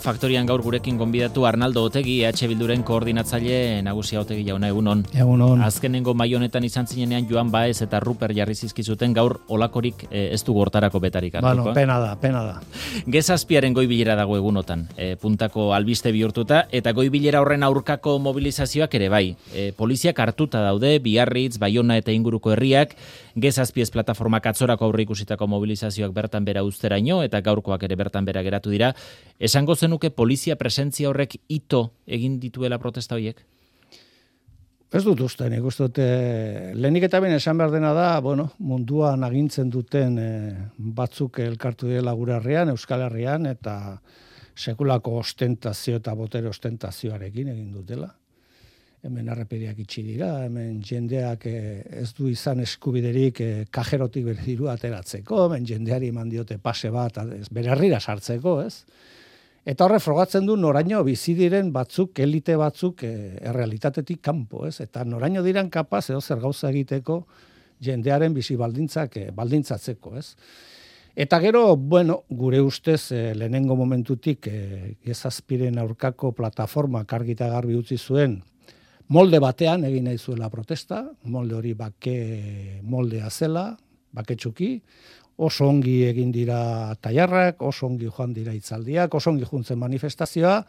Faktorian gaur gurekin gonbidatu Arnaldo Otegi, EH Bilduren koordinatzaile nagusia. Otegi jauna, egunon. Egunon. Azkenengo mai honetan izan zinenean Joan Baez eta Ruper jarri zizkizuten, gaur olakorik ez du hortarako betarik hartuko. Bueno, pena da. Gezazpiaren goibilera dago egunotan, puntako albiste bihurtuta, eta goibilera horren aurkako mobilizazioak ere bai. Poliziak hartuta daude, Biarritz, Baiona eta inguruko herriak, Gezazpiez plataformak atzorako aurre ikusitako mobilizazioak bertan bera uzteraino, eta gaurkoak ere bertan bera geratu dira. Esango zenuke polizia presentzia horrek ito egin dituela protesta horiek? Ez dut uste, nik uste dute, lehenik eta ben esan behar dena da, munduan agintzen duten batzuk elkartu direla gure herrian, Euskal Herrian, eta sekulako ostentazio eta botere ostentazioarekin egin dutela. Hemen arrepediak itxi dira, hemen jendeak ez du izan eskubiderik kajerotik bere dirua ateratzeko, hemen jendeari eman diote pase bat, bere herrira sartzeko, ez? Eta horre frogatzen du noraino bizi diren batzuk, elite batzuk errealitatetik kanpo, ez? Eta noraino diran kapaz edo zer gauza egiteko jendearen bizi baldintzatzeko, ez? Eta gero, gure ustez lehenengo momentutik Gezazpiren aurkako plataformak argi eta garbi utzi zuen molde batean egin nahi zuela protesta, molde hori bake moldea zela, baketsuki, oso ongi egin dira tailarrak, oso ongi joan dira hitzaldiak, oso ongi juntzen manifestazioa,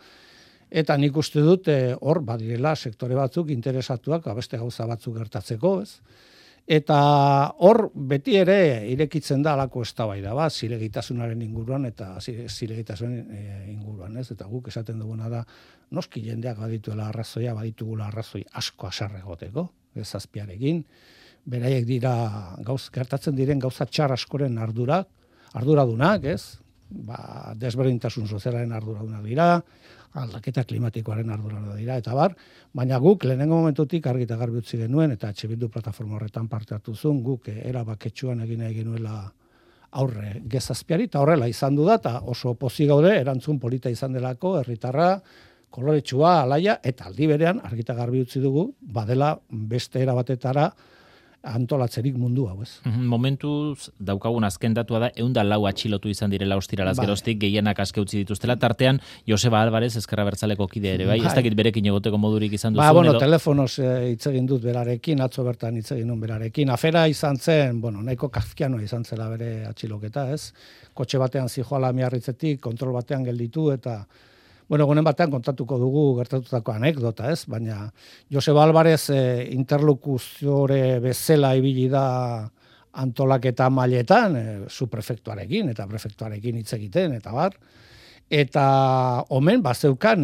eta nik uste dut hor badirela sektore batzuk interesatuak beste gauza batzuk gertatzeko, ez? Eta hor beti ere irekitzen da alako eztabaida bat, zilegitasunaren inguruan eta zilegitasunaren inguruan, ez? Eta guk esaten duguna da, noski jendeak badituela arrazoia, baditugula arrazoi asko haserre egoteko, Gezazpiarekin, beraiek dira gertatzen diren gauza txar askoren arduradunak, ez? Desberdintasun sozialaren arduradunak dira, aldaketa klimatikoaren arduradunak dira, eta baina guk lehenengo momentutik argi eta garbi utzi genuen, eta EH Bildu plataforma horretan parte hartu zuen, guk erabaketsuan egin nahi genuela aurre Gezazpiari, eta horrela izan du da, eta oso pozik gaude, erantzun polita izan delako, herritarra, koloretsua, alaia, eta aldi berean argi eta garbi utzi dugu, badela beste erabatetara antolatzerik mundu hau, ez. Momentuz daukagun azken datua da 104 atxilotu izan direla ostiralaz geroztik, gehienak aske utzi dituztela, tartean Joseba Alvarez Ezker Abertzaleko kide ere, bai? Ez dakit berekin egoteko modurik izan duzuen edo? Telefonoz hitz egin dut berarekin, atzo bertan hitz egin dut berarekin. Afera izan zen, nahiko kafkianoa izan zela bere atxiloketa, ez? Kotxe batean zijoala Miarritzetik, kontrol batean gelditu, eta gonen batean kontatuko dugu gertatutako anekdota, ez? Baina Joseba Alvarez interlokuziore bezala ibili da antolaketa mailetan, su prefektuarekin eta prefektuarekin hitz egiten, eta Eta omen bazeukan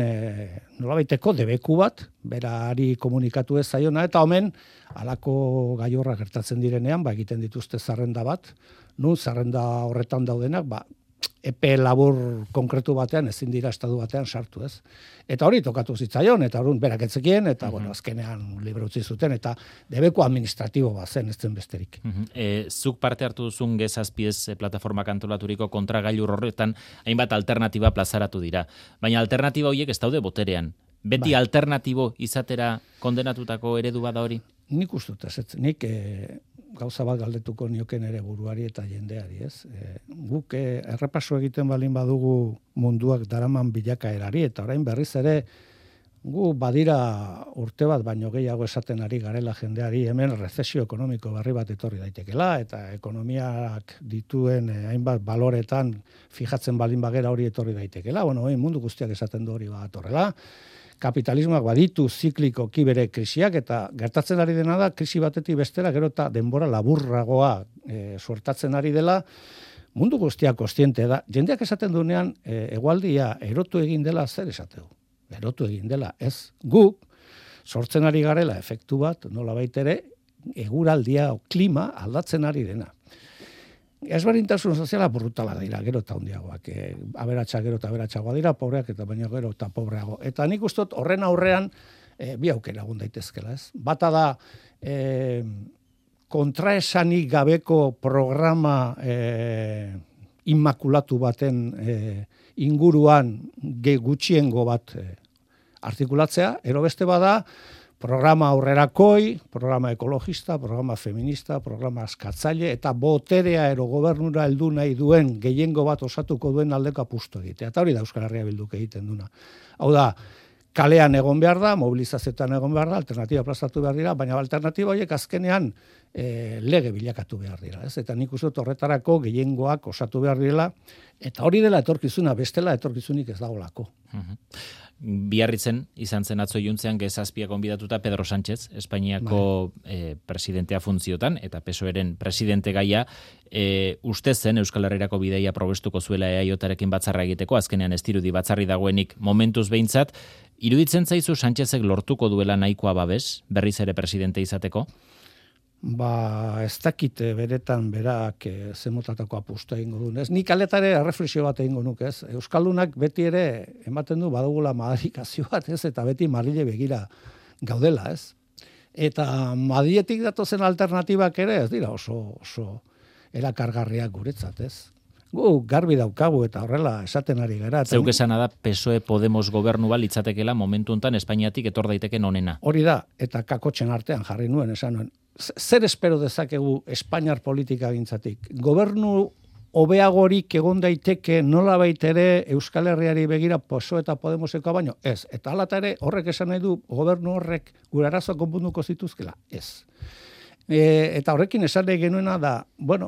nolabaiteko debeku bat, berari komunikatu ez zaiona, eta omen halako gaiorra gertatzen direnean, egiten dituzte zerrenda bat, nun zerrenda horretan daudenak, epe labur konkretu batean ezin dira estatu batean sartu, ez? Eta hori tokatu zitzaion, eta orduan berak etzekien, eta azkenean libre utzi zuten, eta debeku administratibo bat zen, ez zen besterik. Zuk parte hartu duzun Gezazpiez plataformak antolaturiko kontragailur horretan, hainbat alternatiba plazaratu dira. Baina alternatiba horiek ez daude boterean. Beti alternatibo izatera kondenatutako eredu bada hori? Nik ustut ez, nik gauza bat galdetuko nioken ere buruari eta jendeari, ez? Guk errepaso egiten balin badugu munduak daraman bilakaerari, eta orain berriz ere gu badira urte bat baino gehiago esaten ari garela jendeari, hemen rezesio ekonomiko berri bat etorri daitekela, eta ekonomiak dituen hainbat baloretan fijatzen balin bagera hori etorri daitekela. Mundu guztiak esaten du hori bat horrela. Kapitalismoak baditu ziklikoki bere krisiak, eta gertatzen ari dena da, krisi batetik bestera, gero eta denbora laburragoa suertatzen ari dela, mundu guztiak kontziente da. Jendeak esaten duenean, hegoaldia erotu egin dela, zer esateu? Erotu egin dela, ez guk, sortzen ari garela efektu bat, nolabait ere, eguraldia o klima aldatzen ari dena. Ezberdintasun soziala brutala dira, gero eta handiagoak. Aberatsak gero eta aberatsagoa dira, pobreak eta baina gero eta pobreago. Eta nik uste dut horren aurrean bi aukera egon daitezkela, ez? Bata da kontraesanik gabeko programa inmakulatu baten inguruan gutxiengo bat artikulatzea, ero beste bada Programa aurrerakoi, programa ekologista, programa feminista, programa askatzaile, eta boterea ero gobernura heldu nahi duen gehiengo bat osatuko duen aldeko apustu egitea. Eta hori da Euskal Herria Bilduk egiten duna. Hau da, kalean egon behar da, mobilizazioetan egon behar da, alternatiba plazatu behar dira, baina alternatiba horiek azkenean lege bilakatu behar dira. Ez? Eta nik uste horretarako gehiengoak osatu behar dira, eta hori dela etorkizuna, bestela etorkizunik ez dagolako. Biarritzen izan zen atzo iluntzean Gezazpiak gonbidatuta Pedro Sánchez, Espainiako presidentea funtziotan, eta PSOEren presidente gaia, uste zen Euskal Herrirako bideia probestuko zuela EAJarekin batzarra egiteko, azkenean ez dirudi batzarri dagoenik momentuz behintzat, iruditzen zaizu Sánchezek lortuko duela nahikoa babes, berriz ere presidente izateko? Ez dakite beretan berak zemotatako apustu egingo duen. Nik aletare erreflexio bat egingo nuk, ez? Euskaldunak beti ere ematen du badugula madarikazio bat, ez? Eta beti Madrile begira gaudela, ez? Eta Madriletik datozen alternatibak ere, ez dira oso erakargarriak guretzat, ez? Gu garbi daukagu eta horrela esaten ari gara. Zeuk esana da PSOE Podemos gobernu litzatekeela momentu hontan Espainiatik etor daiteken onena. Hori da, eta kakotxen artean jarri nuen, esan nuen. Zer espero dezakegu Espainiar politika gintzatik? Gobernu hobeagorik egon daiteke nolabait ere Euskal Herriari begira PSOE eta Podemoseko baino? Ez. Eta halata ere horrek esan nahi du gobernu horrek gure arazoak konponduko zituzkela? Ez. Eta horrekin esan nahi genuena da,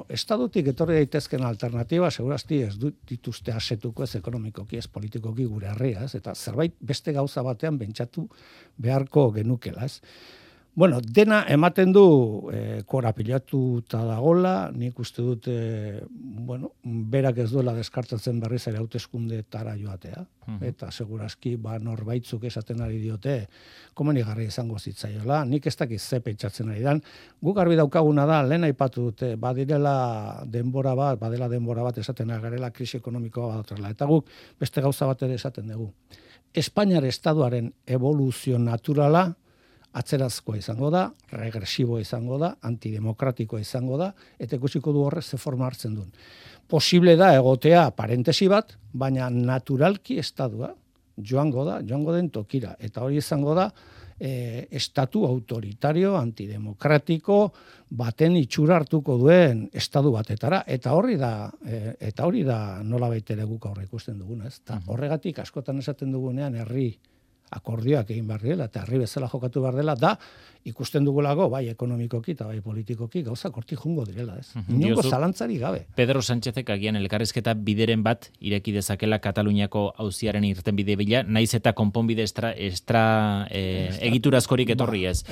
estadutik etorri daitezken alternatiba, segurazti ez dituzte asetuko ez ekonomikoki, ez politikoki gure herria, ez? Eta zerbait beste gauza batean bentsatu beharko genukela, ez? Dena ematen du korapilatuta dagola, nik uste dut, berak ez duela deskartatzen berriz ere hauteskundetara joatea, eta segurazki norbaitzuk esaten ari diote, komenigarri izango zitzaiola, nik ez dakiz ze pentsatzen ari dan, guk garbi daukaguna da, lehen aipatu dute, badela denbora bat esaten ari garela, krisi ekonomikoa badotrela, eta guk beste gauza bat ere esaten dugu. Espainiar estaduaren evoluzio naturala, atzerazkoa izango da, regresiboa izango da, antidemokratikoa izango da, eta ikusiko du horrez ze forma hartzen duen. Posible da egotea parentesi bat, baina naturalki estadua joango den tokira, eta hori izango da estatu autoritario, antidemokratiko, baten itxura hartuko duen estadu batetara, eta hori da nola baitere guk aurre ikusten duguna, ez? Horregatik askotan esaten dugunean herri akordioak egin behar dela, eta herri bezala jokatu behar dela, da ikusten dugulago, bai ekonomikoki eta bai politikoki, gauzak hortik jungo direla, ez? Inongo zalantzari gabe. Pedro Sánchezek agian elkarrizketa bideren bat ireki dezakela Kataluniako auziaren irtenbide bila, naiz eta konponbide egiturazkorik etorri ez.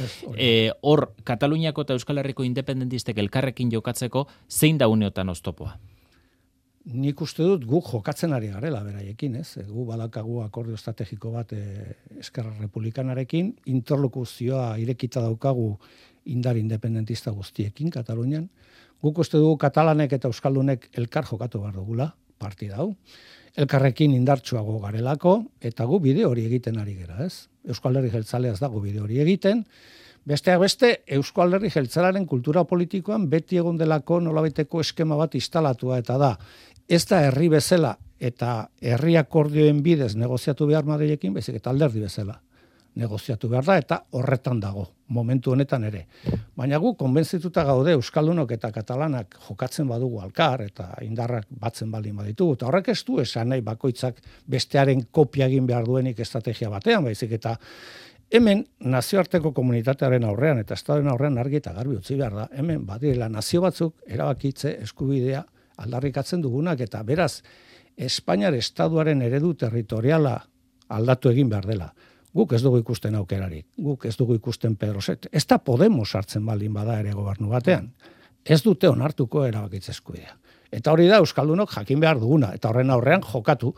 Hor, Kataluniako eta Euskal Herriko independentistek elkarrekin jokatzeko, zein da uneotan oztopoa? Nik uste dut guk jokatzen ari garela beraiekin, ez? Gu badakagu akordio estrategiko bat Eskerra Republikanarekin, interlokuzioa irekita daukagu indar independentista guztiekin Katalunian. Guk uste dugu katalanek eta euskaldunek elkar jokatu behar dugula, partida hau. Elkarrekin indartsuago garelako, eta gu bide hori egiten ari gera, ez? Euskal Herri Jeltzalea ez dago bide hori egiten, besteak beste, Euskal Herri Jeltzalearen kultura politikoan beti egon delako nolabaiteko eskema bat instalatua, eta da, ez da herri bezala eta herri akordioen bidez negoziatu behar Madrilekin, baizik eta alderdi bezala negoziatu behar da, eta horretan dago, momentu honetan ere. Baina gu, konbentzituta gaude Euskaldunok eta Katalanak jokatzen badugu alkar, eta indarrak batzen baldin baditugu, eta horrek ez du esan nahi bakoitzak bestearen kopia egin behar duenik estrategia batean, baizik eta hemen nazioarteko komunitatearen aurrean eta estaduen aurrean argi eta garbi utzi behar da, hemen badirela nazio batzuk erabakitze eskubidea aldarrikatzen dugunak, eta beraz, Espainiar estaduaren eredu territoriala aldatu egin behar dela. Guk ez dugu ikusten aukerarik, guk ez dugu ikusten Pedro Sánchez. Ez da Podemos hartzen baldin bada ere gobernu batean. Ez dute onartuko erabakitze eskubidea. Eta hori da Euskaldunok jakin behar duguna, eta horren aurrean jokatu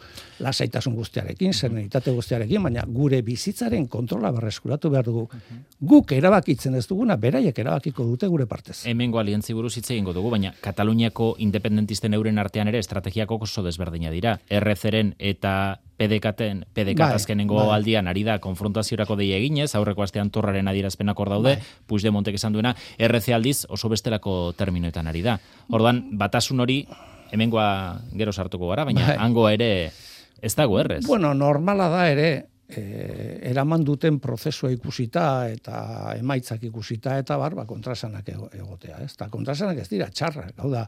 lasaitasun guztiarekin, serenitate guztiarekin, baina gure bizitzaren kontrola berreskuratu behar dugu. Guk erabakitzen ez duguna, beraiek erabakiko dute gure partez. Hemengo aliantzi buruz hitz egingo dugu, baina Kataluniako independentisten euren artean ere estrategiako oso desberdina dira. RC-ren eta PDK azkenengo aldian ari da konfrontaziorako deia eginez, aurreko astean Torraren adierazpenak hor daude, Puigdemontek esan duena, RC aldiz oso bestelako terminoetan ari da. Ordan batasun hori hemengoa gero sartuko gara, baina hangoa ere ez dago errez. Normala da ere, eraman duten prozesua ikusita eta emaitzak ikusita eta kontrasanak egotea, ez? Eta kontrasanak ez dira txarrak, hau da,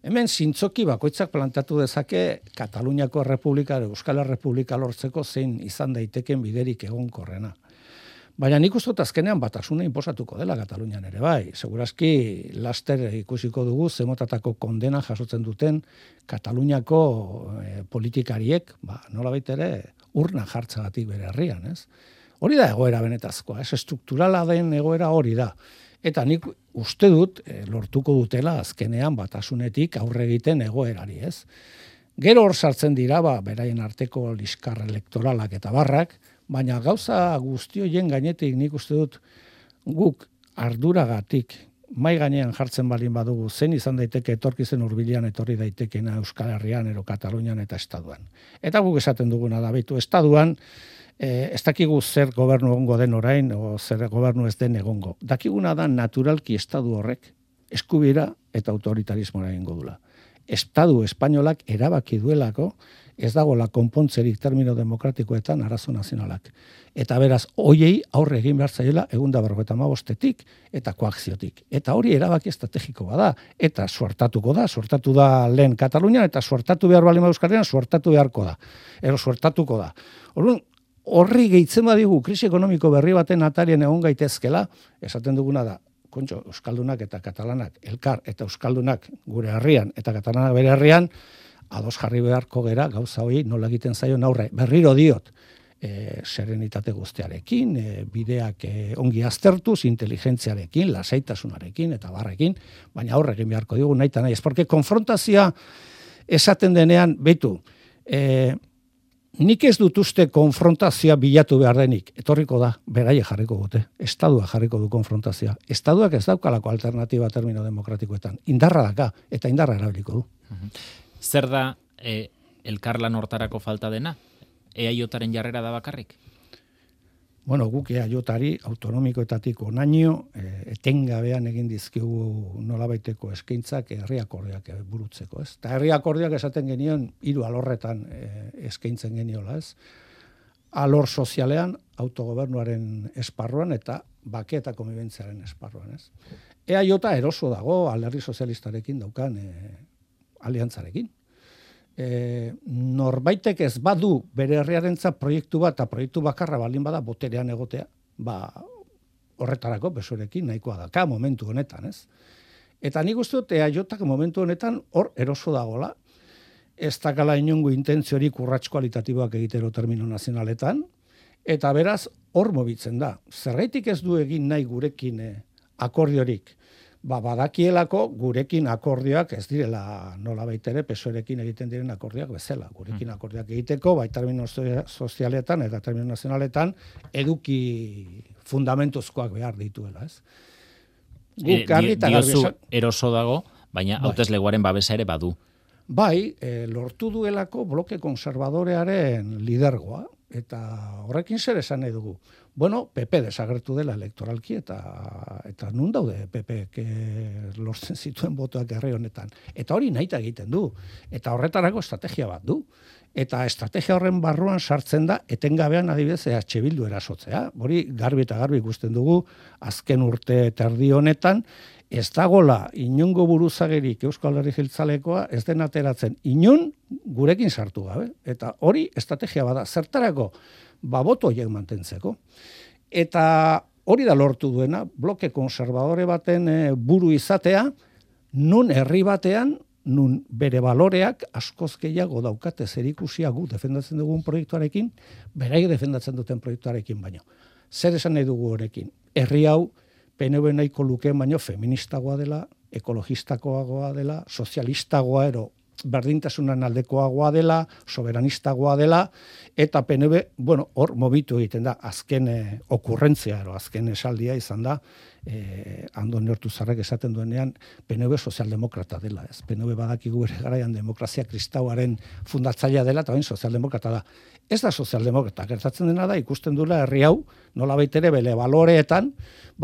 hemen zintzoki bakoitzak plantatu dezake Kataluniako Errepublika, Euskal Errepublika lortzeko zein izan daiteken biderik egonkorrena. Baina nik uste dut azkenean batasuna inposatuko dela Katalunian ere bai. Segurazki laster ikusiko dugu zemotatako kondena jasotzen duten Kataluniako politikariek, nolabait ere urna jartzagatik bere herrian, ez? Hori da egoera benetazkoa, ez? Estrukturala den egoera hori da. Eta nik uste dut lortuko dutela azkenean batasunetik aurre egiten egoerari, ez? Gero hor sartzen dira, beraien arteko liskar elektoralak eta barrak, baina gauza guzti horien gainetik nik uste dut guk arduragatik mai gainean jartzen balin badugu zen izan daiteke etorkizen hurbilean etorri daitekena Euskal Herrian ero Katalunian eta Estaduan. Eta guk esaten duguna da beitu Estaduan ez dakigu zer gobernu egongo den orain o zer gobernu ez den egongo. Dakiguna da naturalki Estadu horrek eskubira eta autoritarismoa egingo dula. Estadu espainolak erabaki duelako ez dagoela konpontzerik termino demokratikoetan arazo nazionalak. Eta beraz, hoiei aurre egin behar zaiela 155-tik eta koakziotik. Eta hori erabaki estrategiko bada. Eta suertatu da lehen Katalunian, eta suertatu behar bali Euskal suertatu beharko da. Suertatuko da. Horri gehitzen badigu krisi ekonomiko berri baten atarien egon gaitezkela, esaten duguna da, kontxo, Euskaldunak eta Katalanak, elkar eta Euskaldunak gure herrian eta Katalanak bere herrian, ados jarri beharko gera gauza hori nola egiten zaion aurre. Berriro diot, serenitate guztiarekin, bideak ongi aztertuz, inteligentziarekin, lasaitasunarekin eta barrekin, baina aurre egin beharko digu nahi eta nahi. Ez porque konfrontazioa esaten denean, beitu, nik ez dut uste konfrontazioa bilatu behar denik, etorriko da, beraie jarriko dute, Estadua jarriko du konfrontazioa. Estaduak ez daukalako alternatiba termino demokratikoetan, indarra daka eta indarra erabiliko du. Zer da elkarlan hortarako falta dena? EAJaren jarrera da bakarrik? Bueno, guk EAJari autonomikoetatik onaino etengabean egin dizkigu nolabaiteko eskaintzak herri akordioak burutzeko, ez? Eta herri akordioak esaten genion 3 alorretan eskaintzen geniola, ez? Alor sozialean, autogobernuaren esparruan eta bake eta konbibentziaren esparruan, ez? EAJ eroso dago Alderdi Sozialistarekin daukan aliantzarekin. Norbaitek ez badu bere herriarentzat proiektu bat eta proiektu bakarra balin bada boterean egotea, horretarako besorekin nahikoa daka momentu honetan, ez? Eta nik uste dut EAJak momentu honetan hor eroso dagola, ez dakala inongo intentziorik urrats kualitatiboak egitero termino nazionaletan, eta beraz hor mobitzen da. Zergaitik ez du egin nahi gurekin akordiorik? Badakielako gurekin akordioak ez direla nolabait ere PSOErekin egiten diren akordioak bezala. Gurekin akordioak egiteko, bai termino sozialetan eta termino nazionaletan eduki fundamentuzkoak behar dituela, ez? Diozu eroso dago, baina hauteslegoaren babesa ere badu. Bai, lortu duelako bloke konservadorearen lidergoa, eta horrekin zer esan nahi dugu. Bueno, PP desagertu dela elektoralki eta nun daude PP lortzen zituen botoak herri honetan. Eta hori nahita egiten du. Eta horretarako estrategia bat du. Eta estrategia horren barruan sartzen da etengabean adibidez EH Bildu erasotzea. Hori garbi eta garbi ikusten dugu azken urte terdi honetan ez dagola inongo buruzagerik Euskal Herri Jeltzalekoa ez den ateratzen inon gurekin sartu gabe. Eta hori estrategia bada. Zertarako? Boto horiek mantentzeko. Eta hori da lortu duena, bloke konservadore baten buru izatea, nun herri batean, nun bere baloreak askoz gehiago daukate zerikusia gu defendatzen dugun proiektuarekin, beraik defendatzen duten proiektuarekin baino. Zer esan nahi dugu horekin? Herri hau PNV nahiko lukeen baino feministagoa dela, ekologistakoagoa dela, sozialistagoa ero berdintasunan aldekoagoa dela, soberanistagoa dela, eta PNV, hor mobitu egiten da, azken okurrentzia, azken esaldia izan da, Andon Neortuzarrek esaten duenean, PNV sozialdemokrata dela, ez? PNV badakigu ere garaian demokrazia kristauaren fundatzailea dela, eta bain sozialdemokrata da. Ez da sozialdemokrata, gertatzen dena da, ikusten duela herri hau, nolabait ere bele baloreetan,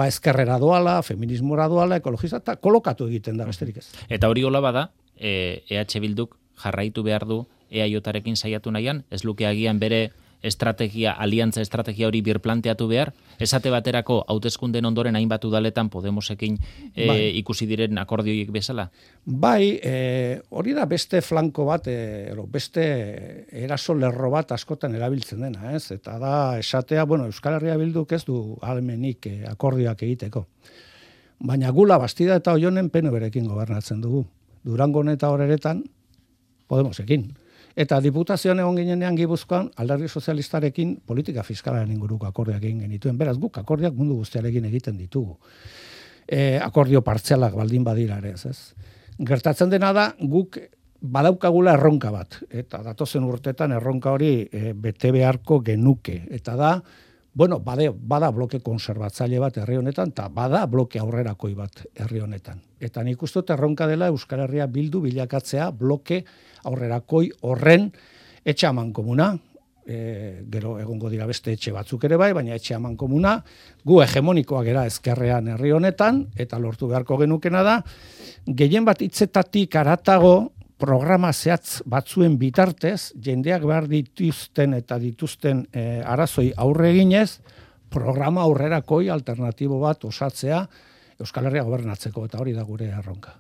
ezkerrera doala, feminismora doala, ekologista, eta kolokatu egiten da, besterik ez. Eta hori hola bada, EH Bilduk jarraitu behar du EAJarekin saiatu nahian, ez luke agian bere aliantza estrategia hori birplanteatu behar? Esate baterako hauteskunden ondoren hainbat udaletan Podemosekin ikusi diren akordioiek bezala? Bai, hori da beste flanko bat, beste eraso lerro bat askotan erabiltzen dena, ez? Eta da esatea, Euskal Herria Bilduk ez du ahalmenik akordioak egiteko. Baina Gula, Bastida eta Oionen PNV-rekin gobernatzen dugu. Durangon eta Horeretan Podemosekin. Eta diputazioan egon ginenean Gipuzkoan Alderdi Sozialistarekin politika fiskalaren inguruko akordioak egin genituen. Beraz, guk akordioak mundu guztiarekin egiten ditugu. Akordio partzialak baldin badira ere, ez? Gertatzen dena da, guk badaukagula erronka bat. Eta datozen urtetan erronka hori bete beharko genuke. Eta da, bada bloke konserbatzaile bat herri honetan, eta bada bloke aurrerakoi bat herri honetan. Eta nik uste dut erronka dela Euskal Herria Bildu bilakatzea bloke aurrerakoi horren etxe amankomuna, gero egongo dira beste etxe batzuk ere bai, baina etxe amankomuna, gu hegemonikoak era ezkerrean herri honetan, eta lortu beharko genukena da, gehien bat hitzetatik haratago programa zehatz batzuen bitartez, jendeak behar dituzten arazoi aurre eginez, programa aurrerakoi alternatibo bat osatzea Euskal Herria gobernatzeko, eta hori da gure erronka.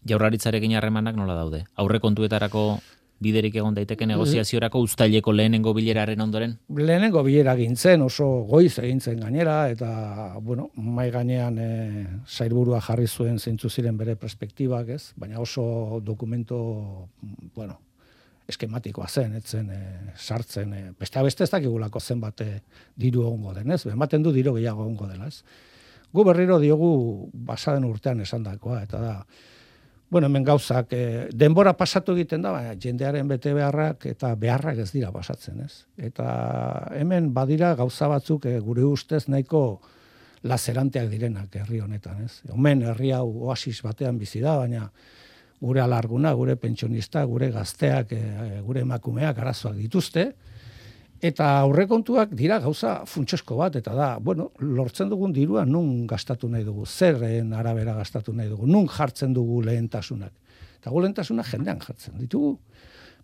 Jaurlaritzarekin harremanak nola daude? Aurrekontuetarako biderik egon daiteke negoziaziorako uztaileko lehenengo bileraren ondoren? Lehenengo bilera gintzen, oso goiz egintzen gainera, eta, mai gainean sailburua jarri zuen zeintzu ziren bere perspektibak, ez? Baina oso dokumento, eskematikoa zen, etzen sartzen, beste ez dakigulako zenbat diru egongo den, ez? Ematen du diru gehiago egongo dela, ez? Gu berriro diogu basaden urtean esandakoa, eta da, hemen gauzak, denbora pasatu egiten da, baina jendearen bete beharrak eta beharrak ez dira pasatzen, ez? Eta hemen badira gauza batzuk gure ustez nahiko lazeranteak direnak herri honetan, ez? Hemen herri hau oasis batean bizi da, baina gure alarguna, gure pentsionista, gure gazteak, gure emakumeak arazoak dituzte, eta aurrekontuak dira gauza funtsesko bat, eta da, lortzen dugun dirua nun gastatu nahi dugu, zerren arabera gastatu nahi dugu, nun jartzen dugu lehentasunak. Eta gu lehentasunak jendean jartzen ditugu.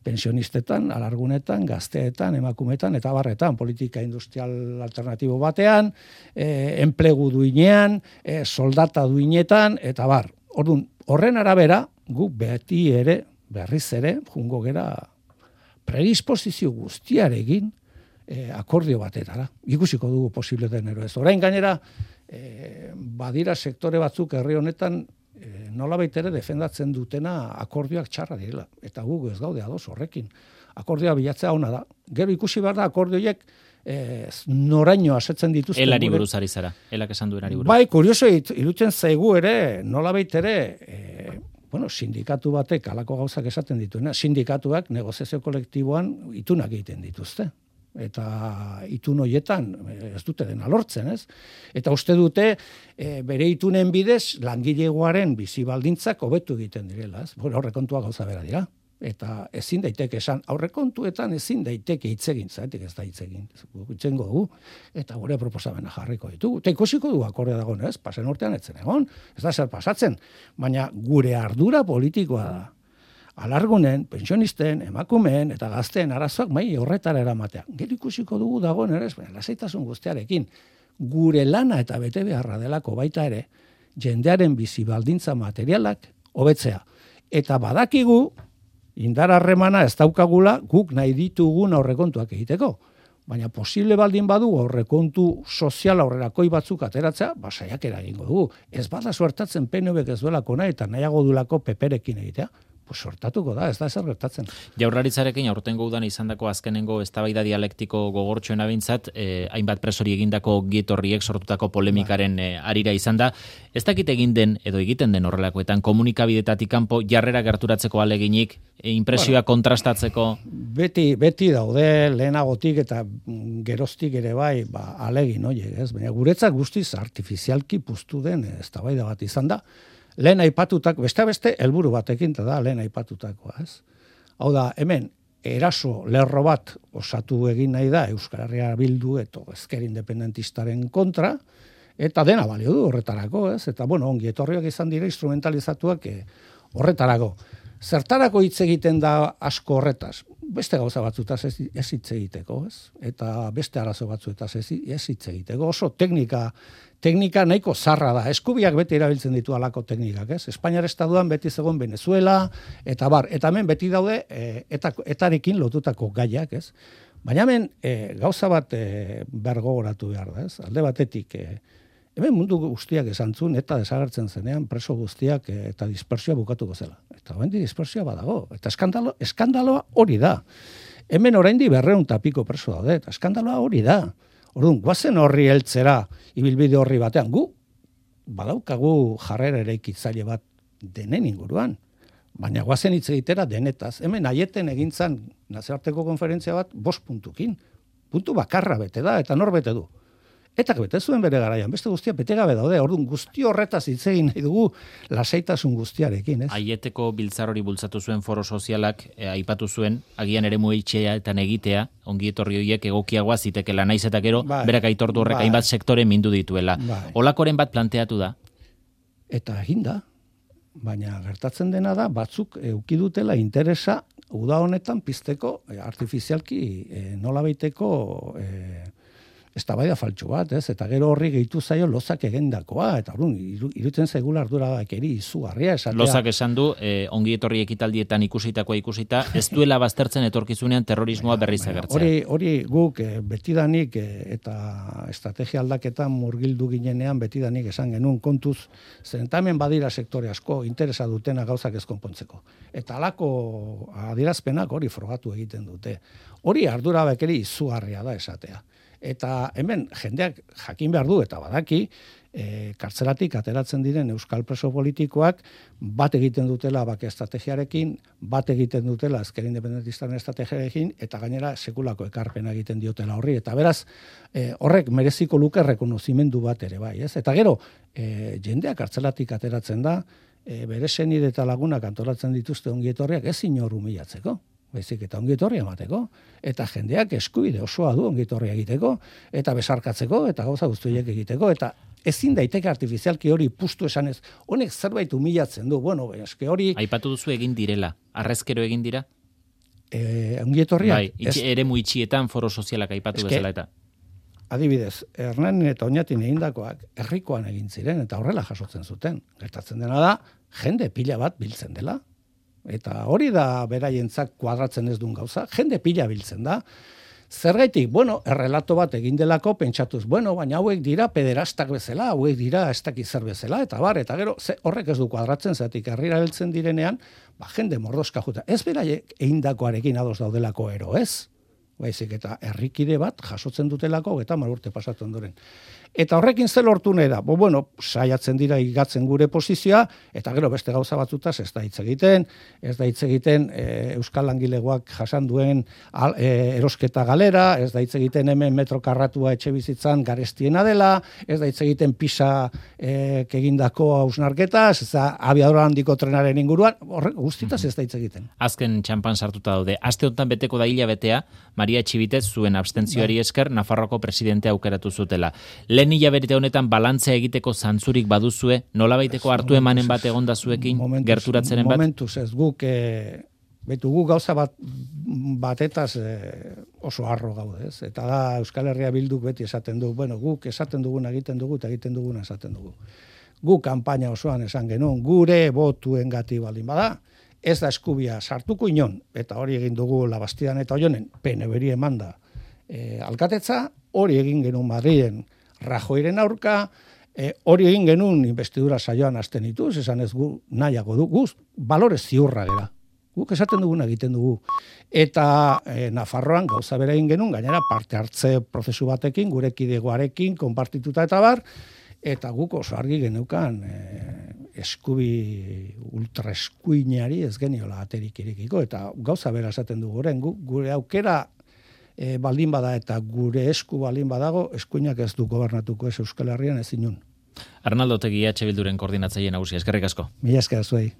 Pensionistetan, alargunetan, gazteetan, emakumetan, eta barretan, politika industrial alternatibo batean, enplegu duinean, soldata duinetan, eta bar. Orduan, horren arabera, gu beti ere, berriz ere, jungo gera predisposizio guztiarekin, akordio batetara. Ikusiko dugu posible denero ez. Orain gainera, badira sektore batzuk herri honetan nolabait ere defendatzen dutena akordioak txarra direla. Eta guk ez gaude ados horrekin. Akordioa bilatzea ona da. Gero ikusi behar da akordioiek noraino asetzen dituzten. Elari buruz ari zara. Elak esan duenari buruz. Bai, kurioso irutzen zaigu ere, nolabait ere, sindikatu batek alako gauzak esaten dituena. Sindikatuak negoziazio kolektiboan itunak egiten dituzte. Eta itun hoietan ez dute dena lortzen, ez? Eta uste dute bere itunen bidez langilegoaren bizi baldintzak hobetu egiten direla, ez? Aurrekontuak gauza bera dira. Eta ezin daiteke esan, aurrekontuetan ezin daiteke hitz egin, zaitik ez da hitz egin. Itzengo dugu, eta gure proposamena jarriko ditugu. Eta ikusiko dugu akordea dagoen, ez? Pasen urtean etzen egon, ez da zer pasatzen. Baina gure ardura politikoa da. Alargunen, pensionisten, emakumeen eta gazteen arazoak horretara eramatea. Gero ikusiko dugu dagoen ere, lasaitasun guztiarekin. Gure lana eta bete beharra delako baita ere, jendearen bizi baldintza materialak hobetzea. Eta badakigu, indar harremana ez daukagula guk nahi ditugun aurrekontuak egiteko. Baina posible baldin badu aurrekontu sozial aurrerakoi batzuk ateratzea, saiakera egingo dugu. Ez bada suertatzen PNVk ez duelako nahi eta nahiago duelako PPrekin egitea. Sortatuko da, ez da ezer gertatzen. Jaurlaritzarekin aurtengo udan izandako azkenengo eztabaida dialektiko gogortxoena bintzat, hainbat presori egindako gietorriek sortutako polemikaren arira izan da. Ez dakit egiten den horrelakoetan komunikabidetatik kanpo jarrera gerturatzeko aleginik, impresioa kontrastatzeko? Beti daude lehenagotik eta geroztik ere bai, alegin, ez? Baina guretzat guztiz artifizialki puztu den eztabaida bat izan da. Lehen aipatutak, beste helburu batekin, eta da lehen aipatutakoa, ez? Hau da, hemen, eraso lerro bat osatu egin nahi da Euskal Herria Bildu eta ezker independentistaren kontra, eta dena balio du horretarako, ez? Eta, ongi etorriak izan dira instrumentalizatuak horretarako. Zertarako hitz egiten da asko horretaz? Beste gauza batzutaz ez hitz egiteko, ez? Eta beste arazo batzuetaz ez hitz egiteko. Oso teknika nahiko zarra da. Eskubiak beti erabiltzen ditu alako teknikak, ez? Espainiar estatuan beti zegoen Venezuela, eta hemen beti daude etarekin lotutako gaiak, ez? Baina hemen gauza bat bergogoratu behar da, ez? Alde batetik, hemen mundu guztiak esan zuen, eta desagertzen zenean preso guztiak eta dispersioa bukatuko zela. Eta hemendi dispersioa badago. Eta eskandaloa hori da. Hemen oraindik 200 eta piko preso daude, eta eskandaloa hori da. Orduan, guazen horri heltzera, ibilbide horri batean, gu badaukagu jarrera eraikitzaile bat denen inguruan. Baina guazen hitz egitera denetaz. Hemen aieten egintzan nazioarteko konferentzia bat 5 puntukin. Puntu bakarra bete da, eta nor bete du. Eta bete zuen bere garaian, beste guztia bete gabe daude. Orduan, guzti horretaz hitz egin nahi dugu lasaitasun guztiarekin, ez? Aieteko biltzar hori bultzatu zuen foro sozialak aipatu zuen, agian eremu itxeetan egitea, ongi etorri horiek egokiagoa zitekeela, naiz eta gero, berak aitortu horrek hainbat sektore mindu dituela. Olakoren bat planteatu da? Eta egin da, baina gertatzen dena da, batzuk eduki dutela interesa uda honetan pizteko artifizialki nolabaiteko eztabaida faltsu bat, ez? Eta gero horri gehitu zaio lozak egendakoa, eta irutzen zaigula arduragakeri izugarria esatea. Lozak esan du, ongi etorri ekitaldietan ikusita, ez duela baztertzen etorkizunean terrorismoa berriz agertzea. Hori guk betidanik eta estrategia aldaketan murgildu ginenean betidanik esan genuen kontuz, zentamen badira sektore asko interesa dutena gauzak ez konpontzeko. Eta alako adierazpenak hori frogatu egiten dute. Hori arduragakeri izugarria da esatea. Eta hemen jendeak jakin behar du eta badaki, kartzelatik ateratzen diren euskal preso politikoak bat egiten dutela bake estrategiarekin, bat egiten dutela ezker independentistaren estrategiarekin, eta gainera sekulako ekarpena egiten diotela horri. Eta beraz, horrek mereziko luke rekonozimendu bat ere bai, ez? Eta gero, jendeak kartzelatik ateratzen da, bere senide eta lagunak antolatzen dituzte ongietorriak ez inor humilatzeko. Baizik eta ongietorria emateko, eta jendeak eskubide osoa du ongietorria egiteko, eta besarkatzeko, eta gauza guztiak egiteko, eta ezin daiteke artifizialki hori pustu esanez, honek zerbait humilatzen du, bueno, eske hori... Aipatu duzu egin direla, arrezkero egin dira? Ongietorria... Bai, eremu itxietan foro sozialak aipatu bezala eta... Adibidez, Hernanin eta Oñatin egindakoak herrikoan egin ziren, eta horrela jasotzen zuten. Gertatzen dena da, jende pila bat biltzen dela, eta hori da beraientzat kuadratzen ez duen gauza, jende pila biltzen da. Zergaitik, bueno, errelato bat egin delako pentsatuz, bueno, baina hauek dira pederastak bezala, hauek dira ez dakiz zer bezala, eta gero, horrek ez du kuadratzen, zatik herrira heltzen direnean, jende mordoska juta. Ez beraiek egindakoarekin ados daudelako ero, ez? Baizik eta herrikide bat jasotzen dutelako, eta 10 urte pasatu ondoren. Eta horrekin zer lortu nahi da? Bueno, saiatzen dira igatzen gure posizioa, eta gero beste gauza batzutaz ez da hitz egiten Euskal Langilegoak jasan duen erosketa galera, ez da hitz egiten hemen metro karratua etxe bizitzan garestiena dela, ez da hitz egiten pisa egindako hausnarketaz, ez da abiadura handiko trenaren inguruan, horrek guztitaz ez da hitz egiten. Azken txampan sartuta daude. Aste honetan beteko da hilabetea, Maria Txibitez zuen abstentzioari esker Nafarroako presidentea aukeratu zutela. Lehen hilabete honetan balantzea egiteko zantzurik baduzue, nolabaiteko hartu emanen bat egonda zuekin, gerturatzeren bat? Momentuz ez, guk gauza batetaz oso harro gaude, ez? Eta da Euskal Herria Bilduk beti esaten du, bueno, guk esaten duguna egiten dugu eta egiten duguna esaten dugu. Guk kanpaina osoan esan genuen, gure botuen gati baldin bada, ez da eskubia sartuko inon, eta hori egin dugu Labastidan eta Oionen, PNV-ri emanda alkatetza, hori egin genuen Madrilen Rajoyren aurka, hori egin genuen investidura saioan hasten dituz, esan ez gu nahiago du, guz balore ziurra gera. Guk esaten duguna egiten dugu. Eta Nafarroan gauza bera egin genuen, gainera parte hartze prozesu batekin, gure kidegoarekin, konpartituta eta bar, eta guk oso argi geneukan ultra eskuinari ez geniola aterik irekiko, eta gauza bera esaten dugu orain, gure aukera baldin bada eta gure esku baldin badago, eskuinak ez du gobernatuko ez Euskal Herrian ez inun. Arnaldo Otegi EH Bilduren koordinatzaile nagusia, eskerrik asko. Mila esker zuei.